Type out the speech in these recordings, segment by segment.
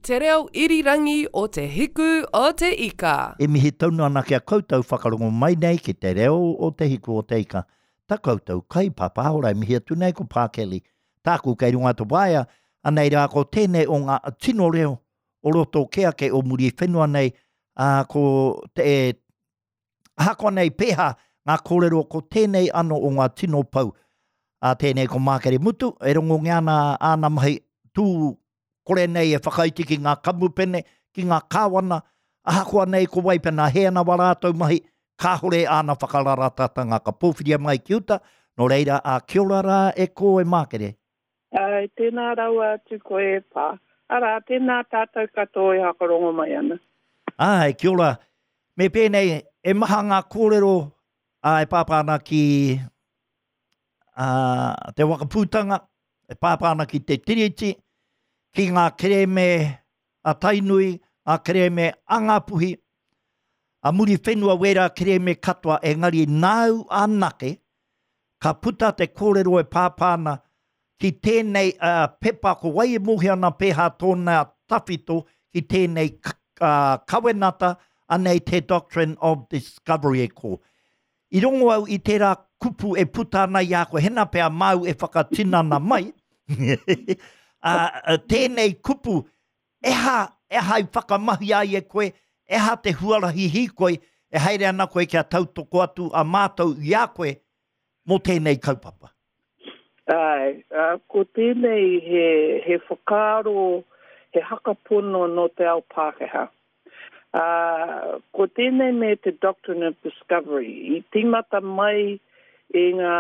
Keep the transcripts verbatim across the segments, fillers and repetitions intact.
Te reo irirangi o Te Hiku o Te Ika. E mihi tonu ana ki a koutou whakarongo mai nei ki te reo o Te Hiku o Te Ika. Ta koutou kaipapa ora e mihi atu nei ko Pākeli. Tāku kei runga te waea, anei rā ko tēnei o ngā tino reo o roto ke ake o muri whenua nei, ā, ko te, ahakoa nei pēhā ngā kōrero ko tēnei ano o ngā tino pou. Ā, tēnei ko Mākere Mutu, e rongongia ana āna mahi tū kore nei e whakaiti ki ngā kamupene, ki ngā kāwana, ahakoa nei ko wai pena he ana wā rātou mahi, kāhore āna whakararatatanga ka pōwhiria mai ki uta, nō reira, ā, kia ora rā e kō e Mākere. Āe, tēnā rawa atu koe e Pā. Arā, tēnā tātou katoa e whakarongo mai ana. Āe, kia ora. Me pēnei, e maha ngā kōrero ā, e pāpā ana ki ā, te wakapūtanga, e pāpā ana ki te Tiriti, ki ngā kerēme a Tainui, ngā kerēme a Ngāpuhi, a Muriwhenua wērā kerēme katoa, engari nāu anake ka puta te kōrero e pāpā ana ki tēnei uh, pepa, ko wai e mōhio ana pēhā tōna tawhito ki tēnei uh, kawenata, anei te Doctrine of Discovery e kō. I rongo au i tērā kupu e puta ana i a koe, hena pea māu e whakatinana mai, uh, tēnei kupu, eha, eha i whakamahi ai e koe, eha te huarahi hīkoi, e haere ana koe kia tautoko atu a mātou i a koe mō tēnei kaupapa. Āe, uh, ko tēnei he, he whakaaro, he hakapono nō te ao Pākehā. Uh, ko tēnei me te Doctrine of Discovery. I tīmata mai i ngā,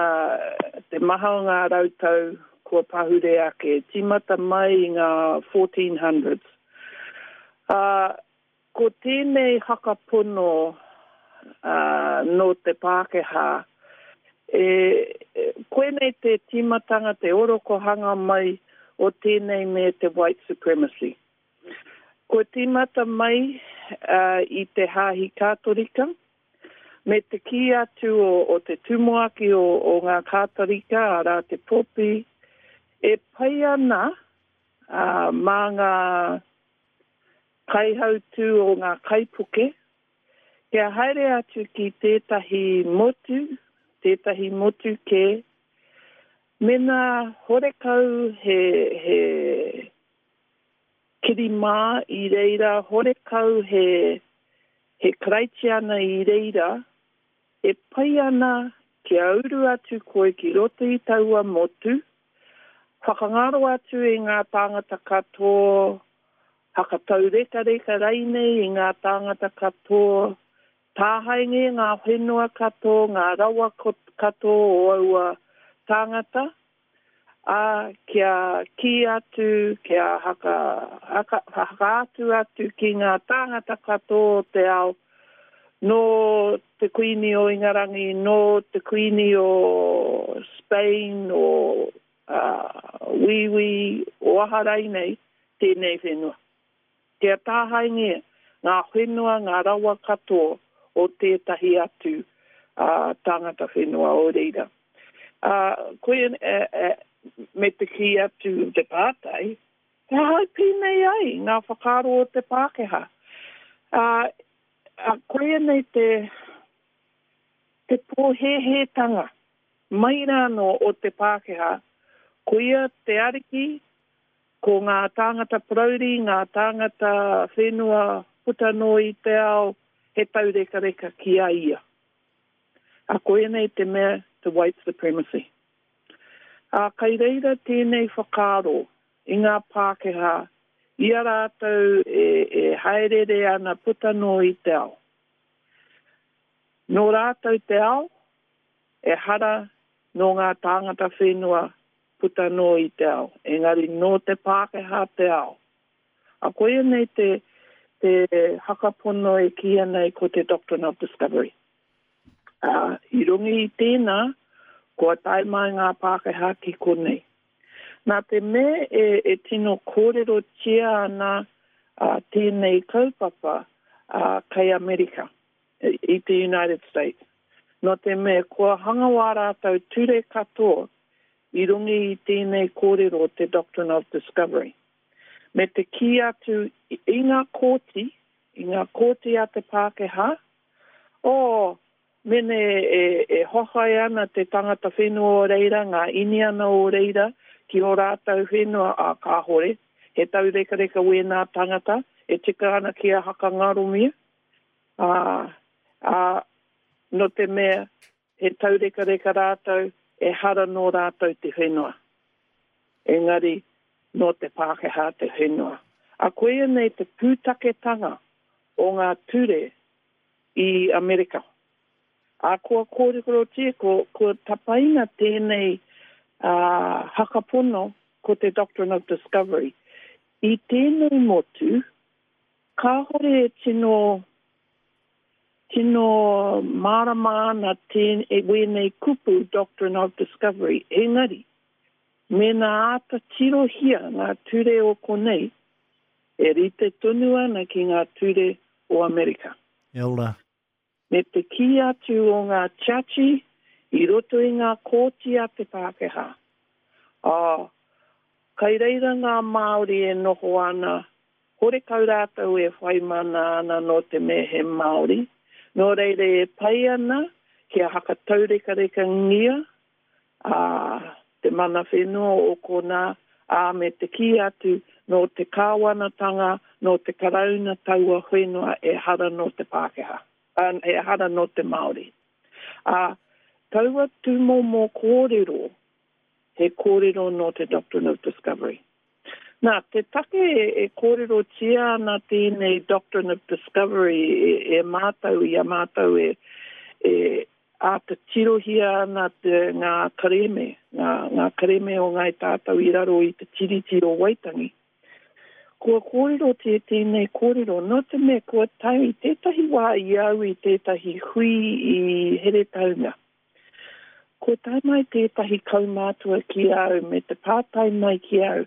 te maha o ngā rautau kua pahure ake, tīmata mai i ngā fourteen hundreds. Uh, ko tēnei hakapono uh, nō te Pākehā, e, koinei te tīmatanga, te orokohanga mai o tēnei me te white supremacy. Kua tīmata mai uh, i te Hāhi Kātorika, me te kī atu o, o te tumuaki o, o ngā Kātorika, arā te Popi, e pai ana uh, mā ngā kaihautū o ngā kaipuke, kia haere atu ki tētahi motu, tētahi motu kē, mena horekau he, he kirimā i reira, horekau he, he Karaitiana i reira, e pai ana kia uru atu koe ki roto i taua motu, whakangaro atu i ngā tāngata katoa, hakataurekareka rainei i ngā tāngata katoa, tāhainge ngā whenua katoa, ngā rawa katoa o aua tāngata, ā, kia kī atu, kia haka, haka, hakaatu atu ki ngā tāngata katoa o te ao, nō te Kuini o Ingarangi, nō te Kuini o Spain, o uh, Wīwī, o aha rainei, tēnei whenua. Kia tāhaingia ngā whenua, ngā rawa katoa o tētahi atu uh, tāngata whenua o reira. Uh, koe, eh, eh, me te kī atu te pātai, he aha i pēnei ai ngā whakaaro o te Pākehā. Uh, uh, koia nei te, te pōhēhētanga mai rānō o te Pākehā, koia te ariki, ko ngā tāngata parauri, ngā tāngata whenua puta noa i te ao, he taurekareka ki a ia. A koia nei te mea, te white supremacy. A kai reira tēnei whakaaro i ngā Pākehā, i a rātou e, e haerere ana puta noa i te ao. Nō rātou te ao, ehara nō ngā tāngata whenua puta noa i te ao, engari nō te Pākehā te ao. A koia nei te, te hakapono e kīia nei ko te Doctrine of Discovery. Uh, i runga i tēnā, kua tae mai ngā Pākehā ki konei. Nā te mea e, e tino kōrerotia ana uh, tēnei kaupapa uh, kei Amerika, i te United States. Nō te mea kua hanga wā rātou ture katoa i runga i tēnei kōrero te Doctrine of Discovery. Me te kī atu i ngā kōti, i ngā kōti a te Pākehā, oh, mene e, e hohai ana te tangata whenua o reira, ngā Iniana o reira, ki o rātou whenua a kāhore, he taurekareka wēnā tangata, e tika ana ki a hakangaromia, a, a, no te mea, he taurekareka rātou, e hara no rātou te whenua. Engari, no te Pākehā te whenua. A koia nei te pūtaketanga o ngā ture i Amerika. A kua kōrikorotia, ko, ko tapaina tēnei uh, hakapono ko te Doctrine of Discovery. I tēnei motu, kāhore e tino, tino mārama ana tēn, e wēnei kupu Doctrine of Discovery. Engari, mēnā āta tirohia ngā ture o konei, e rite tonu ana ki ngā ture o Amerika. Kia ora. Me te kī atu o ngā tiachi i roto i ngā kōti a te Pākehā. Ā, kai reira ngā Māori e noho ana, horekau rātou e whai mana ana nō te mea he Māori, nō reira e pai ana kia hakataurekarea ā, te mana whenua o konā, ā, me te kī atu nō te kāwanatanga, nō te karauna taua whenua e hara nō te Pākehā, ā, e hara nō te Māori. Ā, taua tūmomo kōrero, he kōrero nō te Doctrine of Discovery. Nā, te take e, e kōrerotia ana tēnei Doctrine of Discovery e, e mātou i a mātou e, e āta tirohia ana te, ngā kerēme, ngā, ngā kerēme o Ngāi Tātou i raro i te Tiriti o Waitangi. Kua kōrerotia tēnei kōrero, nō te mea kua tau i tētahi wā i au i tētahi hui i Heretaunga. Kua tae mai tētahi kaumātua ki au me te pātai mai ki au,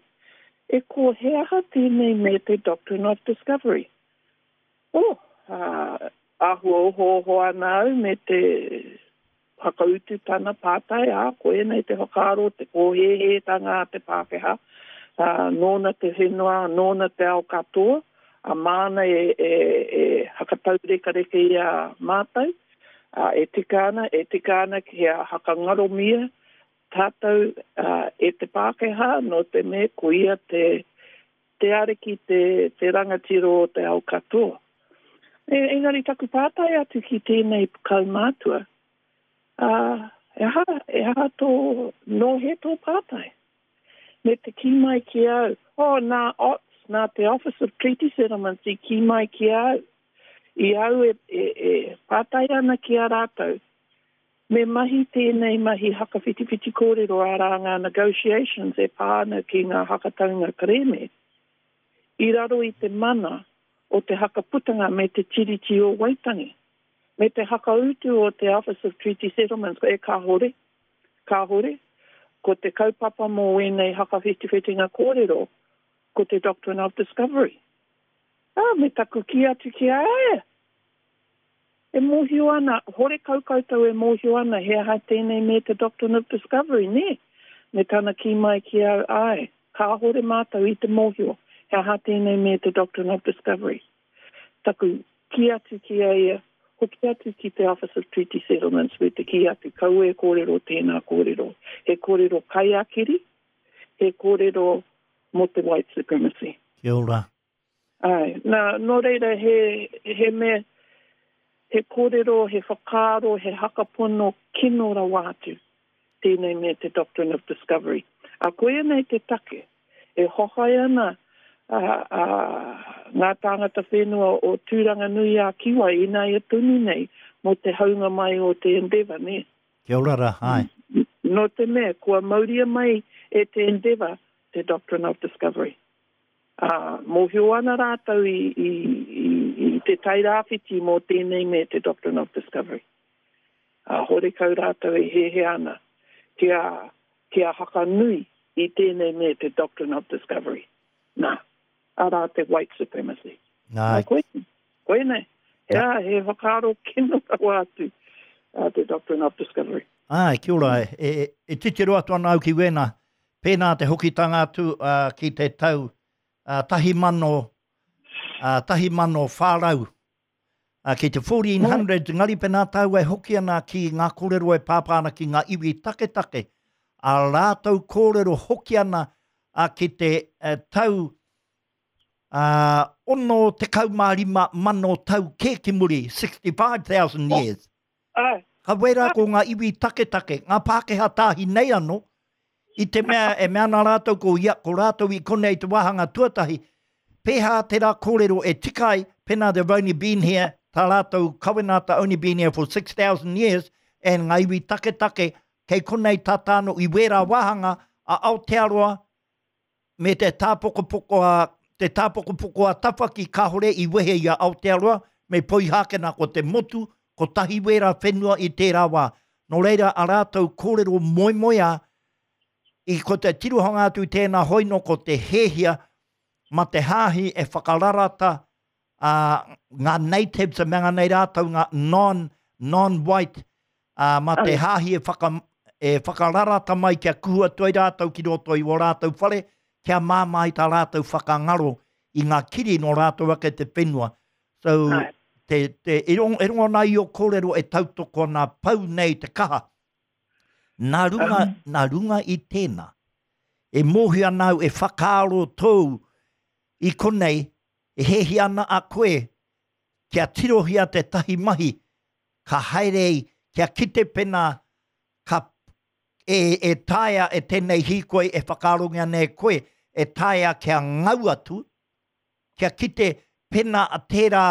e ko he aha tēnei me te Doctrine of Discovery? Oh, uh, āhua oho oho ana au me te whakautu tana pātai, ā, koinei te whakaaro, te kōhēhētanga a te Pākehā, uh, nōna te whenua, nōna te ao katoa, a māna e, e, e hakataurekareke i a mātou, uh, e tika ana, e tika ana kia hakangaromia tātou uh, e te Pākehā, nō te mea ko ia te, te ariki, te, te rangatira o te ao katoa. E, engari taku pātai atu ki tēnei kaumātua, uh, e aha, e aha tō, nō he tō pātai? Me te kī mai ki au, oh, nā O T S, nā te Office of Treaty Settlements i kī mai ki au. I au e, e, e pātai ana ki a rātou, me mahi tēnei mahi hakawhitiwhiti kōrero arā ngā negotiations e pā ana ki ngā hakataunga kerēme, i raro i te mana o te hakaputanga me te Tiriti o Waitangi, me te hakautu o te Office of Treaty Settlements, e kāhore, kāhore, ko te kaupapa mō wēnei hakawhitiwhitinga kōrero, ko te Doctrine of Discovery. Ah, me taku kī atu ki a ia. E mōhio ana, horekau koutou e mōhio ana, he aha tēnei me te Doctrine of Discovery, nē? Me tana kī mai ki au, ai, kāhore mātou i te mōhio, he aha tēnei me te Doctrine of Discovery. Taku kī atu ki a ia, hoki atu ki te Office of Treaty Settlements me te kī atu, kaua e kōrero tēnā kōrero. He kōrero kaiakiri, he kōrero mō te white supremacy. Kia ora. Ai, nā, nō reira he, he mea, he kōrero, he whakaaro, he hakapono kino rawa atu tēnei me te Doctrine of Discovery. A koia nei te take, e hohai ana a, a, ngā tāngata whenua o Tūranga Nui a Kiwa ināia tonu nei mō te haunga mai o te Endeavour, nē? Kia ora rā, ai. Nō te mea, kua mauria mai e te Endeavour te Doctrine of Discovery. Uh, mōhio ana rātou i, i, i, i te tairāwhiti mō tēnei me te Doctrine of Discovery. Uh, horekau rātou e hehe ana kia, kia hakanui i tēnei me te Doctrine of Discovery. Nā, arā te white supremacy. Nā. Nā, koe, koe nei. He, Nā. he whakaaro kino rawa atu, uh, te Doctrine of Discovery. Ai, kia ora, e, e, e titiro atu ana au ki wēnā. Pēnā te hokitanga atu, uh, ki te tau, uh, tahi mano, uh, tahi mano whārau. Uh, ki te fourteen hundred, ngari pēnā tāu e hoki ana ki ngā kōrero e pāpā ana ki ngā iwi taketake, a rātou kōrero hoki ana uh, ki te uh, tau uh, ono tekau mā rima mano tau kē ki muri, sixty-five thousand years. Oh. Ka wera ko ngā iwi taketake, ngā Pākehā tāhi nei anō, i te mea e mea ana rātou ko ia, ko rātou i konei te wāhanga tuatahi, pēhā tērā kōrero e tikai, pēnā they've only been here, tā rātou kawenata only been here for six thousand years, and ngā iwi taketake, kei konei tātāno i wērā wāhanga a Aotearoa, me te tāpokopoko a, te tāpokopoko a Tawhaki kāhore i wehe i a Aotearoa, me Poihākena ko te motu, ko tahi wērā whenua i tērā wā. Nō reira a rātou kōrero moemoeā, i ko te tirohanga atu tēnā hoino ko te hēhia, ma te hāhi e whakararata uh, ngā natives, e mea nei rātou ngā non, non-white, uh, ma te hāhi e, whaka, e whakararata mai kia kuhua toi rātou ki roto i o rātou whare, kia māmā i tā rātou whakangaro i ngā kiri no rātou ake te whenua. So, te, te, e rongo, e rongo nā i o kōrero e tautoko nā pau nei te kaha. Nā runga, um, nā runga i tēnā, e mōhio ana au e whakaaro tōu i konei, e hehi ana a koe, kia tirohia te tahi mahi, ka haere i, kia kite pena, ka, e, e taea e tēnei hīkoi e whakaarongia nei koe, e taea kia ngau atu, kia kite pena a tērā,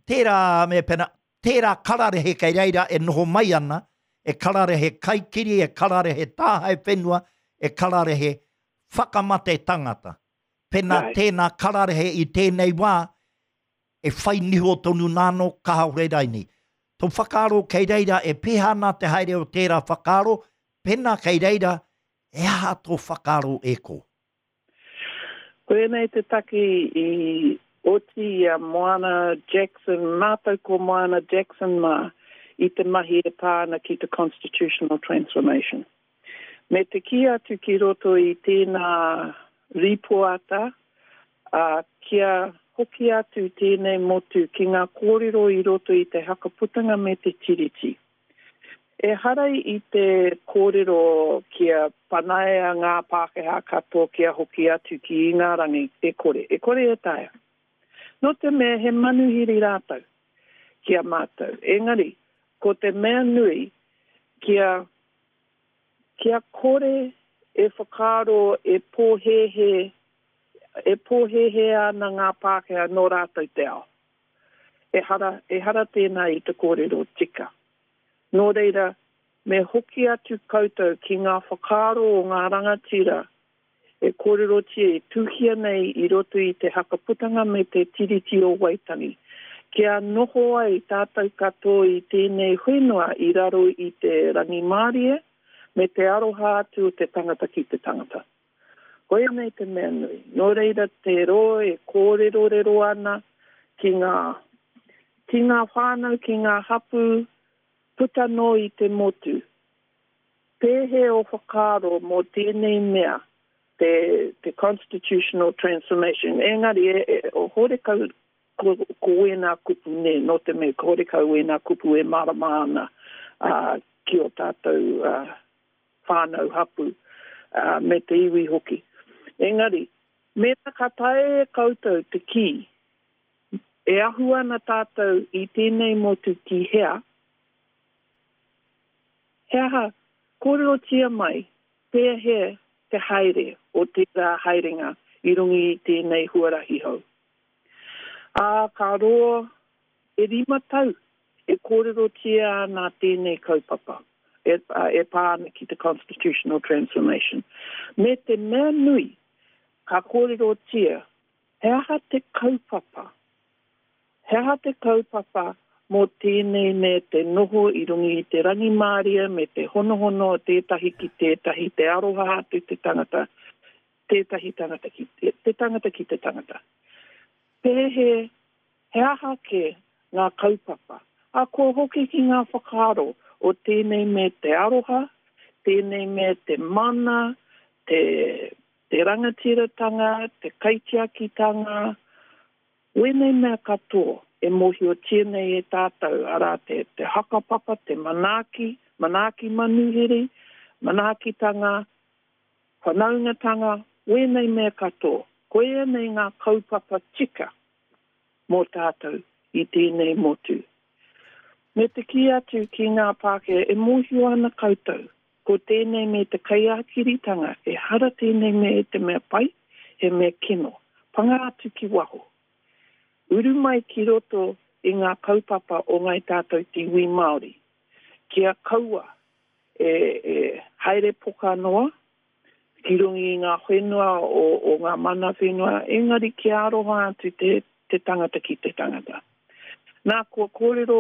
tērā me pena, tērā kararehe kei reira e noho mai ana, e kararehe kaikiri, e kararehe tāhae whenua, e kararehe whakamate tangata. Pena right. Tēnā kararehe i tēnei wā, e whai niho tonu nāno kāore raini. Tō whakaaro kei reira e pēhā nā te haere o tērā whakaaro, pena kei reira, e aha tō whakaaro e ko? Koenei te taki i oti i a Moana Jackson, mātou ko Moana Jackson mā, i te mahi e pā ana ki te constitutional transformation. Me te kī atu ki roto i tēnā ripoata, uh, kia hoki atu tēnei motu ki ngā kōrero i roto i te hakaputanga me te tiriti. E harai i te kōrero kia panaia ngā Pākehā katoa kia hoki atu ki Ingarangi, e kore, e kore e taea. Nō te mea he manuhiri rātou ki a mātou. Engari, ko te mea nui kia, kia kore e whakaaro e pōhēhē, e pōhēhē ana ngā Pākehā nō rātou te ao. E hara, e hara tēnā i te kōrero tika. Nō reira, me hoki atu koutou ki ngā whakaaro o ngā rangatira e kōrerotia e tuhia nei i roto i te hakaputanga me te tiriti o Waitangi. Kia noho ai tātou katoa i tēnei whenua i raro i te rangimārie me te aroha atu o te tangata ki te tangata. Koia nei te mea nui. Nō reira te roa e kōrerorero ana ki ngā, ki ngā whānau, ki ngā hapū, puta noa i te motu. Pēhea o whakaaro mō tēnei mea, te, te constitutional transformation. Engari, e, e, o horekau ko, ko wēnā kupu ne, nō te mea, ko horekau wēnā kupu e mārama ana uh, ki o tātou uh, whānau hapu uh, me te iwi hoki. Engari, mēnā ka taea e koutou te kī, e ahu ana tātou i tēnei motu ki hea, he aha, kōrerotia mai, pēhea te haere o tērā haerenga i runga i tēnei huarahi hou. Ā, ka roa e rima tau e kōrerotia ana tēnei kaupapa e, e pā ana ki te constitutional transformation. Me te mea nui, ka kōrerotia, he aha te kaupapa? He aha te kaupapa mō tēnei me te noho i runga i te rangimārie me te honohono o tētahi ki tētahi, te aroha atu te tangata, tētahi tangata ki te, te tangata ki te tangata. Pēhea, he aha ke ngā kaupapa? A ko hoki ki ngā whakaaro o tēnei me te aroha, tēnei me te mana, te, Te rangatiratanga, te kaitiakitanga, wēnei mea katoa e mōhiotia nei e tātou, arā te, te hakapapa, te manaaki, manaaki manuhiri, manaakitanga, whanaungatanga, wēnei mea katoa. Koia nei ngā kaupapa tika mō tātou i tēnei motu. Me te kī atu ki ngā Pākehā e mōhio ana koutou, ko tēnei me te kaiākiritanga, ehara tēnei me te mea pai, he mea kino. Panga atu ki waho. Uru mai ki roto i ngā kaupapa o Ngāi Tātou te iwi Māori. Kia kaua e, e haere poka noa ki runga i ngā whenua o, o ngā mana whenua, engari kia aroha atu te, te tangata ki te tangata. Nā, kua kōrero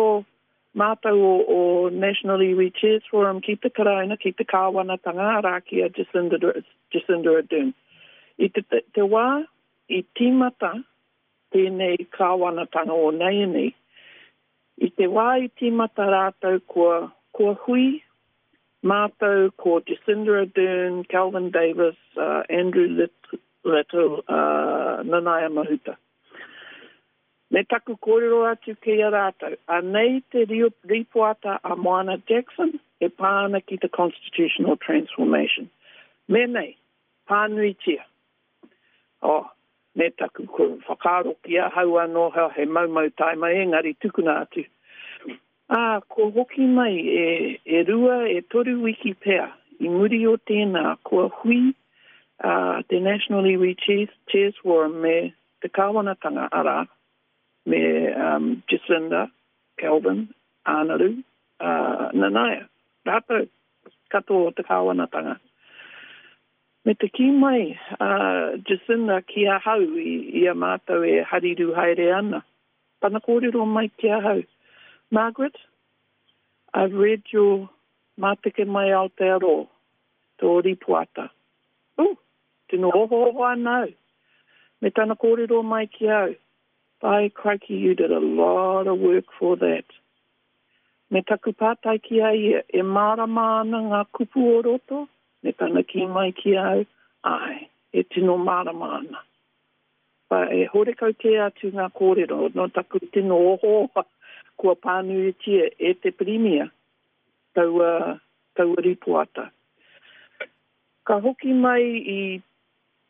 mātou o, o National Iwi Chairs Forum ki te Karauna, ki te kāwanatanga, arā ki a Jacinda, Jacinda Ardern. I te, te, te wā i tīmata tēnei kāwanatanga o nāianei, i te wā i tīmata rātou kua, kua hui mātou ko Jacinda Ardern, Kelvin Davis, uh, Andrew Little, uh, Nanaia Mahuta. Me taku kōrero atu ki a rātou, anei te rīpoata a Moana Jackson e pā ana ki te Constitutional Transformation. Me nei, pānuitia. Oh, me taku whakaaro ki ahau anō he maumau taima engari tukuna atu. Ā, kua hoki mai e, e rua, e toru wiki pea i muri o tēnā kua hui uh, te National Iwi Chairs, Chairs Forum me te kāwanatanga, arā, me um, Jacinda, Kelvin, Anaru, uh, Nanaia, rātou katoa o te kāwanatanga. Me te kī mai uh, Jacinda ki ahau i, i a mātou e hariru haere ana. Tana kōrero mai ki ahau. Margaret, I've read your Māteke Mai Aotearoa, tō rīpoata. Uh, tino ohooho ana au. Me tana kōrero mai ki au. By crikey, you did a lot of work for that. Me taku pātai ki a ia, e mārama ana ngā kupu o roto, me tana kī mai ki au, āe, e tino mārama ana. Ba, e horekau kē atu ngā kōrero, no taku tino ohooha kua pānuitia e te Pirimia taua, taua rīpoata. Ka hoki mai i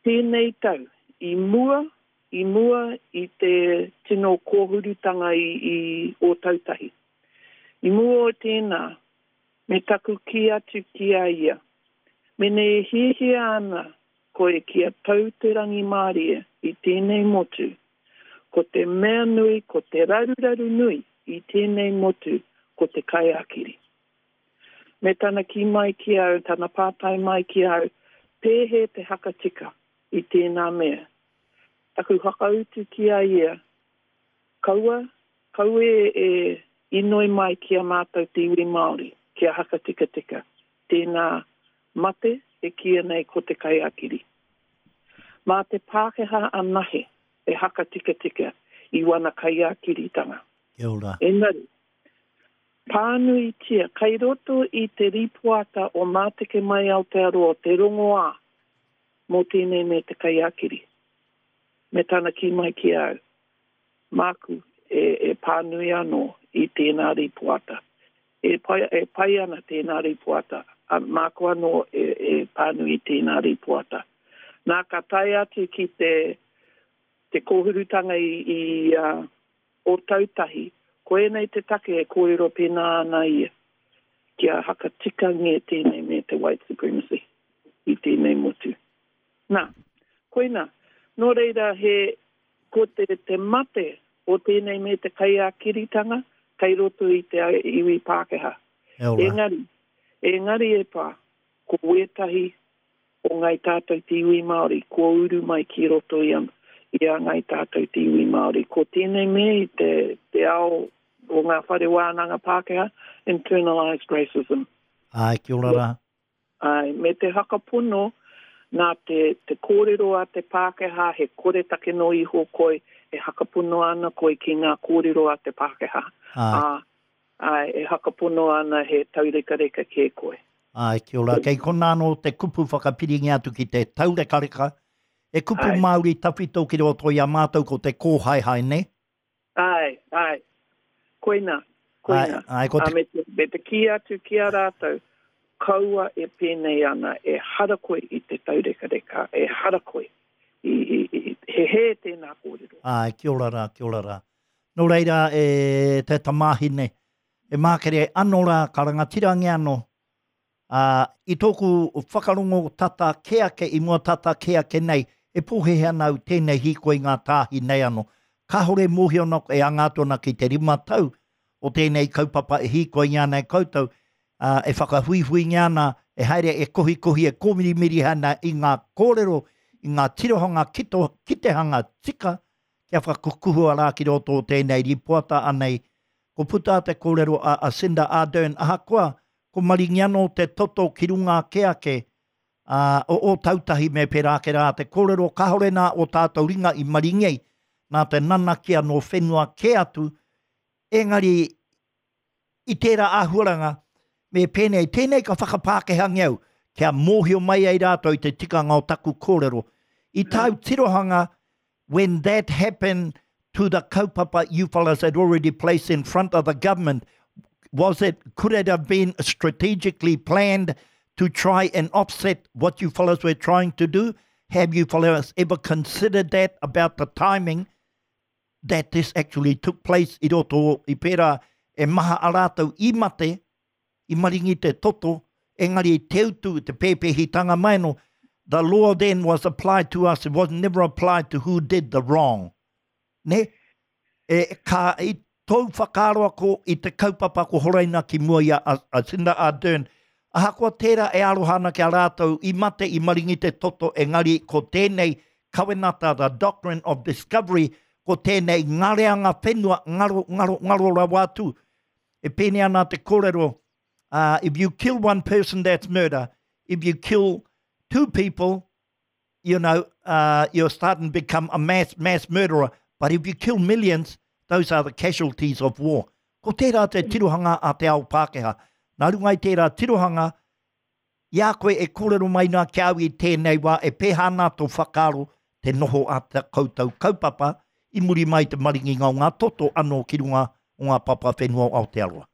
tēnei tau, i mua, i mua i te tino kōhurutanga i, i Ōtautahi. I mua o tēnā, me taku kī atu ki a ia, mene e hiahia ana koe kia tau te rangimārie i tēnei motu, ko te mea nui, ko te raruraru nui i tēnei motu, ko te kaiākiri. Me tana kī mai ki au, tana pātai mai ki au, pēhea te hakatika i tēnā mea. Taku whakautu ki a ia, kaua, kaua e, e inoi mai ki a mātou te iwi Māori, kia hakatikatika, tēnā mate e kīia nei ko te kaiākiri. Mā te Pākehā anahe e hakatikatika i wana kaiākiritanga. Kia ora. Engari, pānuitia, kai roto i te rīpoata o Māteke Mai Aotearoa te rongoā mō tēnei me te kaiākiri. Me tana kī mai ki au, māku e, e pānui anō i tēnā rīpoata. E pai, e pai ana tēnā rīpoata, a, māku anō e, e pānui i tēnā rīpoata. Nā ka tae atu ki te, te kōhurutanga i, i uh, Ōtautahi, koinei te take e kōrero pēnā ana ia, kia hakatikangia tēnei me te white supremacy i tēnei motu. Nā, koina, nō reira he, ko te, te mate o tēnei me te kaiākiritanga kei roto i te iwi Pākehā. Engari, engari e pā, ko wētahi o Ngāi Tātou te iwi Māori, kua uru mai ki roto i a, i a Ngāi Tātou te iwi Māori. Ko tēnei me i te, te ao o ngā whare wānanga Pākehā, internalized racism. Ai, kia ora rā. Ai, me te whakapono nā te, te kōrero a te Pākehā, he koretake no iho koe, e whakapono ana koe ki ngā kōrero a te Pākehā. Ai. Ā, ai, e whakapono ana he taurekareka kē koe. Ai, kia ora. Kei kona anō te kupu whakapiringia atu ki te taurekareka. E kupu Ai. Māori tawhito ki roto i a mātou ko te kōhaehae, ne? Ai, ai. Koina, koina. Ai, ai, ko Ā, te... me te, me te kī atu ki a rātou, kaua e pēnei ana, e hara koe i te taurekareka, e hara koe. I, i, i, he hē tēnā kōrero. Ai, kia ora rā, kia ora rā. Nō reira, e te tamāhine, e mākere anō rā, ka rangatirangi anō. Ā, i tōku whakarongo tata kē ake, i mua tata kē ake nei, e pōhehe ana au tēnei hīkoi ngā tāhi nei anō. Kāhore mōhio ana e anga atu ana ki te rima tau o tēnei kaupapa e hīkoi ana e koutou, ā, e whakahuihuingia ana, e haere e kohikohi, e kōmirimiri ana i ngā kōrero, i ngā tirohanga kito, kitehanga tika, kia whakakukuhua rā ki roto o tēnei ripoata anei. Ko puta te kōrero a Jacinda Ardern, ahakoa, ko maringi anō te toto ki runga ake ake, ā, o Ōtautahi me pērā ake rā te kōrero, kāhore nā o tātou ringa i maringi ai, nā te nanakia nō whenua kē atu, engari i tērā āhuaranga, me pēnei, tēnei ka whakapākehāngia au, kia mōhio mai ai rātou i te tikanga o taku kōrero. I tāu tirohanga, when that happened to the kaupapa you fellas had already placed in front of the government, was it, could it have been strategically planned to try and offset what you fellas were trying to do? Have you fellas ever considered that about the timing that this actually took place i roto i pērā e maha a rātou i mate, i maringi te toto, engari te utu, te pēpēhitanga mai no, the law then was applied to us, it was never applied to who did the wrong. Ne? E, ka, i tōu whakaaro ako i te kaupapa ko horaina ki mua i a, a, a Jacinda Ardern, ahakoa tērā e aroha ana ki a rātou i mate i maringi te toto, engari ko tēnei kawenata, the doctrine of discovery, ko tēnei ngareanga whenua, ngaro, ngaro, ngaro rawa atu. E pēnei ana te kōrero, uh, if you kill one person, that's murder. If you kill two people, you know, uh, you're starting to become a mass, mass murderer. But if you kill millions, those are the casualties of war. Ko tērā te tirohanga a te ao Pākehā. Nā runga i tērā tirohanga, i a koe e kōrero mai nā ki au i tēnei wā, e pēhā ana tō whakaaro te noho a te koutou kaupapa i muri mai te maringinga o ngā toto anō ki runga o ngā papa whenua o Aotearoa.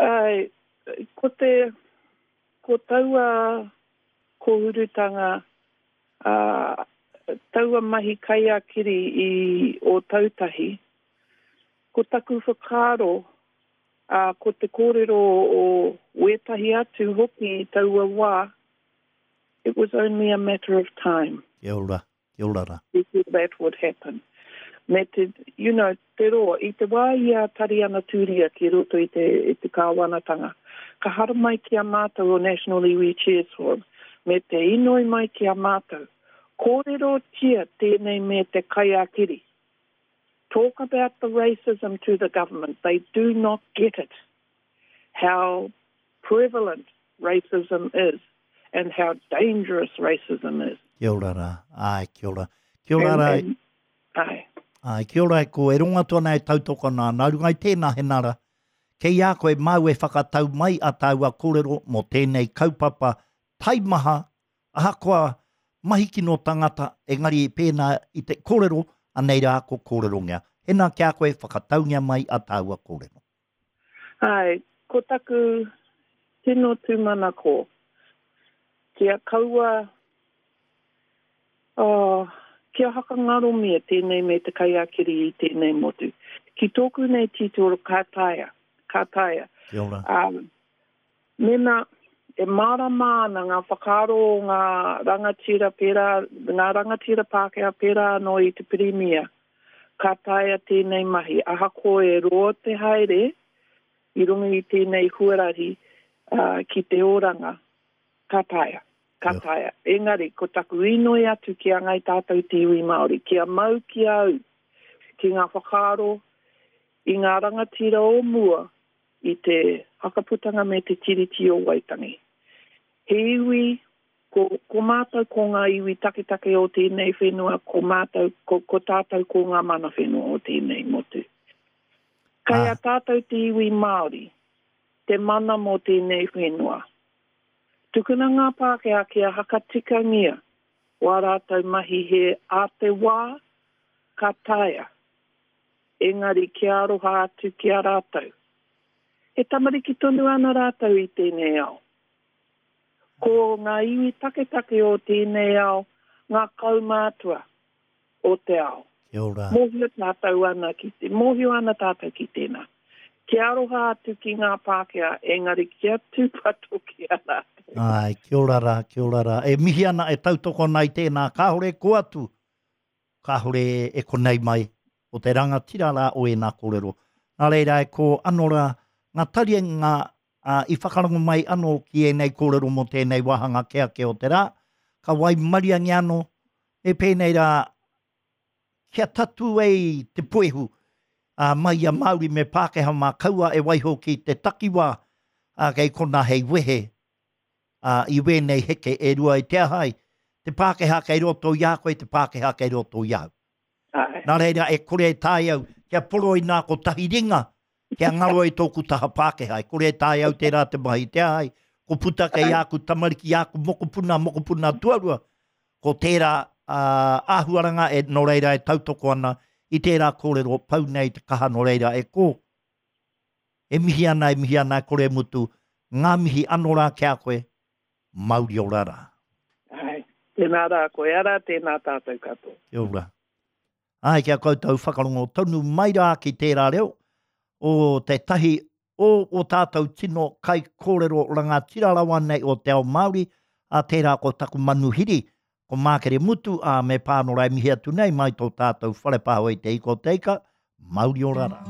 Ai, ko te, ko taua kōhurutanga, uh, taua mahi kaiakiri i Ōtautahi, ko taku whakaaro, uh, ko te kōrero o wētahi atu hoki i taua wā, it was only a matter of time. Kia ora, kia ora rā. Before that would happen. Me te, you know, te roa, i te wā i a Tariana Turia ki roto i te, i te kāwanatanga, ka haramai ki a mātou o National Iwi Chairs Forum, me te inoi mai ki a mātou, kōrero tia tēnei me te kaiakiri. Talk about the racism to the government. They do not get it, how prevalent racism is and how dangerous racism is. Kia ora rā. Ai, kia ora. Kia ora rā. And, and, ai. Ai, kia ora e ko e ronga tōna e tautoko nā, nā runga i tēnā henara. Kei a koe māu e whakatau mai a tāua kōrero mō tēnei kaupapa taimaha, ahakoa mahi kino tangata, engari pēnā i te kōrero, anei rā ko kōrerongia. Hena kia koe whakataungia mai a tāua kōrero. Ai, ko taku tino tūmanako, kia kaua, oh, kia hakangaromia tēnei me te kaiakiri i tēnei motu. Ki tōku nei titiro ka taea, ka taea. Kia ora. Um, mena e mārama ana ngā whakaaro o ngā rangatira pērā, ngā rangatira Pākehā pērā anō i te pirimia, ka taea tēnei mahi. Ahakoa e roa te haere i runga i tēnei huarahi uh, ki te oranga, ka taea. Ka taea. Engari, ko taku inoi atu ki a ngai tātou te iwi Māori, kia mau ki au, ki ngā whakaaro i ngā rangatira o mua i te hakaputanga me te tiriti o Waitangi. He iwi, ko, ko mātou ko ngā iwi taketake o tēnei whenua, ko mātou, ko, ko tātou ko ngā mana whenua o tēnei motu. Kei a tātou te iwi Māori, te mana mō tēnei whenua. Tukuna ngā Pākehā kia hakatikangia wā rātou mahi he a te wā ka taea, engari kia aroha atu ki a rātou. E tamariki tonu ana rātou i tēnei ao. Ko ngā iwi taketake o tēnei ao, ngā kaumātua o te ao. Kia ora. Mōhio tātou ana ki te, mōhio ana tātou ki tēnā. Kia aroha atu ki ngā Pākehā, engari kia tūpato ki a rātou. Ai, kia ora rā, kia ora rā. E mihi ana, e tautoko ana i tēnā, kāhore ko atu, kāhore e konei mai o te rangatira rā o ēnā kōrero. Nā reira e ko anō rā, ngā tarienga uh, i whakarongo mai anō ki ēnei kōrero mō tēnei wāhanga ke ake o te rā, ka waimariangi anō, me pēnei rā, kia tatu ei te poehu, uh, mai a Māori me Pākehā mā kaua e waiho ki te takiwā, uh, kei kona hei wehe, uh, i wēnei heke e rua i te ahai, te Pākehā kei roto i a koe, te Pākehā kei roto i au. Ai. Nā reira e kore e tae au, kia poro i nā kotahi ringa, kia ngaro i tōku taha Pākehā, e kore e tae au tērā te mahi te ahai, ko puta kei āku tamariki, āku mokopuna, mokopuna tuarua, ko tērā uh, āhuaranga e nō reira e tautoko ana i tērā kōrero pau nei te kaha nō reira e ko. E mihi ana, e mihi ana, e kore mutu, ngā mihi anō rā ki a koe, mauri ora rā. Ai. Tēnā rā koe ara, tēnā tātou katoa. Kia ora. Ai, kia koutou whakarongo tonu mai rā ki tērā reo o te tahi o o tātou tino kai kōrero rangatira rawa nei o te ao Māori, a tērā ko taku manuhiri, ko Mākere Mutu, a me pānora e mihi atu nei mai tō tātou wharepāho i te ika o te ika, mauri ora rā.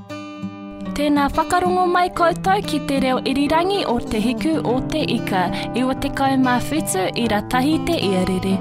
Tēnā whakarongo mai koutou ki te reo irirangi o Te Hiku o Te Ika, iwa tekau mā whitu ira tahi te iarere.